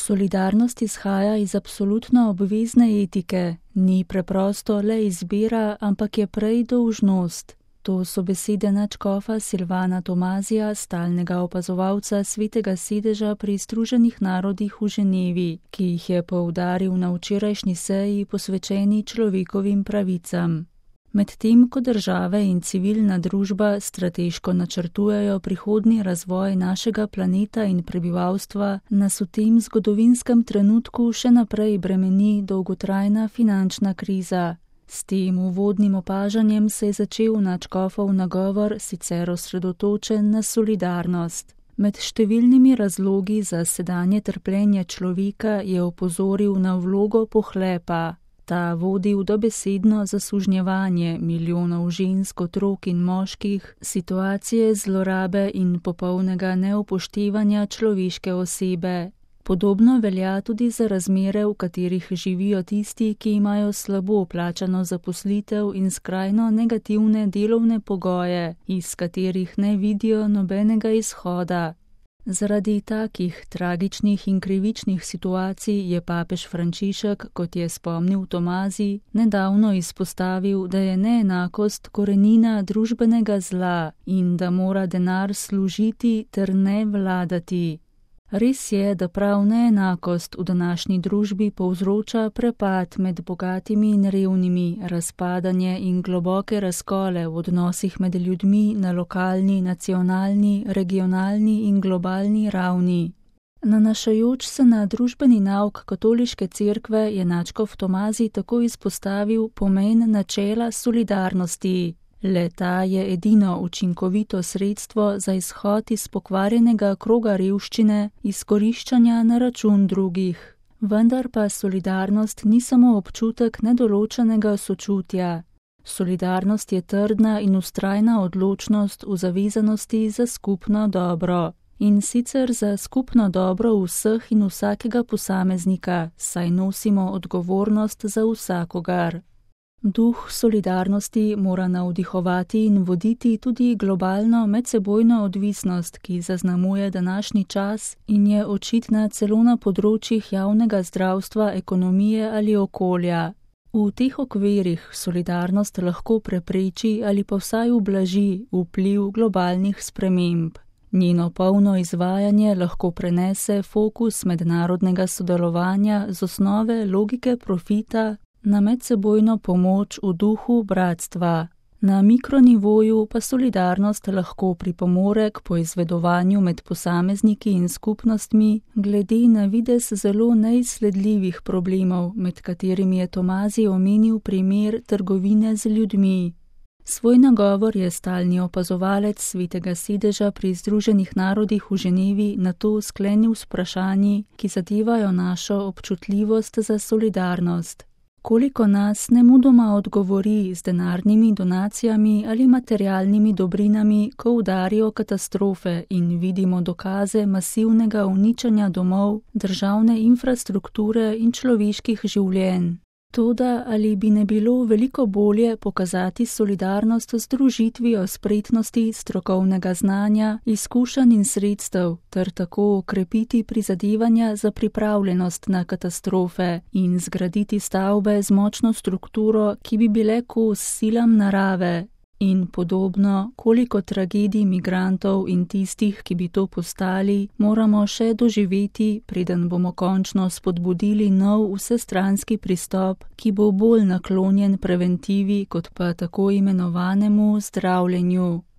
Solidarnost izhaja iz absolutno obvezne etike, ni preprosto le izbira, ampak je prej dolžnost. To so besede nadškofa Silvana Tomazija, stalnega opazovalca Svetega sedeža pri Združenih narodih v Ženevi, ki jih je poudaril na včerajšnji seji posvečeni človekovim pravicam. Medtem ko države in civilna družba strateško načrtujejo prihodnji razvoj našega planeta in prebivalstva, nas v tem zgodovinskem trenutku še naprej bremeni dolgotrajna finančna kriza. S tem uvodnim opažanjem se je začel nadškofov nagovor, sicer osredotočen na solidarnost. Med številnimi razlogi za sedanje trpljenje človeka je opozoril na vlogo pohlepa. Ta vodi v dobesedno zasužnjevanje milijonov žensk, otrok in moških, situacije zlorabe in popolnega neupoštevanja človeške osebe. Podobno velja tudi za razmere, v katerih živijo tisti, ki imajo slabo plačano zaposlitev in skrajno negativne delovne pogoje, iz katerih ne vidijo nobenega izhoda. Zaradi takih tragičnih in krivičnih situacij je papež Frančišek, kot je spomnil Tomazij, nedavno izpostavil, da je neenakost korenina družbenega zla in da mora denar služiti ter ne vladati. Res je, da prav neenakost v današnji družbi povzroča prepad med bogatimi in revnimi, razpadanje in globoke razkole v odnosih med ljudmi na lokalni, nacionalni, regionalni in globalni ravni. Nanašajoč se na družbeni nauk katoliške cerkve je nadškof Tomazij tako izpostavil pomen načela solidarnosti. Le-ta je edino učinkovito sredstvo za izhod iz pokvarjenega kroga revščine, izkoriščanja na račun drugih. Vendar pa solidarnost ni samo občutek nedoločenega sočutja. Solidarnost je trdna in vztrajna odločnost v zavezanosti za skupno dobro. In sicer za skupno dobro vseh in vsakega posameznika, saj nosimo odgovornost za vsakogar. Duh solidarnosti mora navdihovati in voditi tudi globalno medsebojno odvisnost, ki zaznamuje današnji čas in je očitna celo na področjih javnega zdravstva, ekonomije ali okolja. V teh okvirih solidarnost lahko prepreči ali pa vsaj ublaži vpliv globalnih sprememb. Njeno polno izvajanje lahko prenese fokus mednarodnega sodelovanja z osnove logike profita na medsebojno pomoč v duhu bratstva. Na mikronivoju pa solidarnost lahko pripomore k poizvedovanju med posamezniki in skupnostmi glede na videz zelo neizsledljivih problemov, med katerimi je Tomazij omenil primer trgovine z ljudmi. Svoj nagovor je stalni opazovalec Svetega sedeža pri Združenih narodih v Ženevi nato sklenil s vprašanji, ki zadevajo našo občutljivost za solidarnost. Koliko nas nemudoma odgovori z denarnimi donacijami ali materialnimi dobrinami, ko udarijo katastrofe in vidimo dokaze masivnega uničenja domov, državne infrastrukture in človeških življenj. Toda ali bi ne bilo veliko bolje pokazati solidarnost z združitvijo spretnosti, strokovnega znanja, izkušenj in sredstev, ter tako okrepiti prizadevanja za pripravljenost na katastrofe in zgraditi stavbe z močno strukturo, ki bi bile kos silam narave? In podobno, koliko tragedij migrantov in tistih, ki bi to postali, moramo še doživeti, preden bomo končno spodbudili nov vsestranski pristop, ki bo bolj naklonjen preventivi kot pa tako imenovanemu zdravljenju.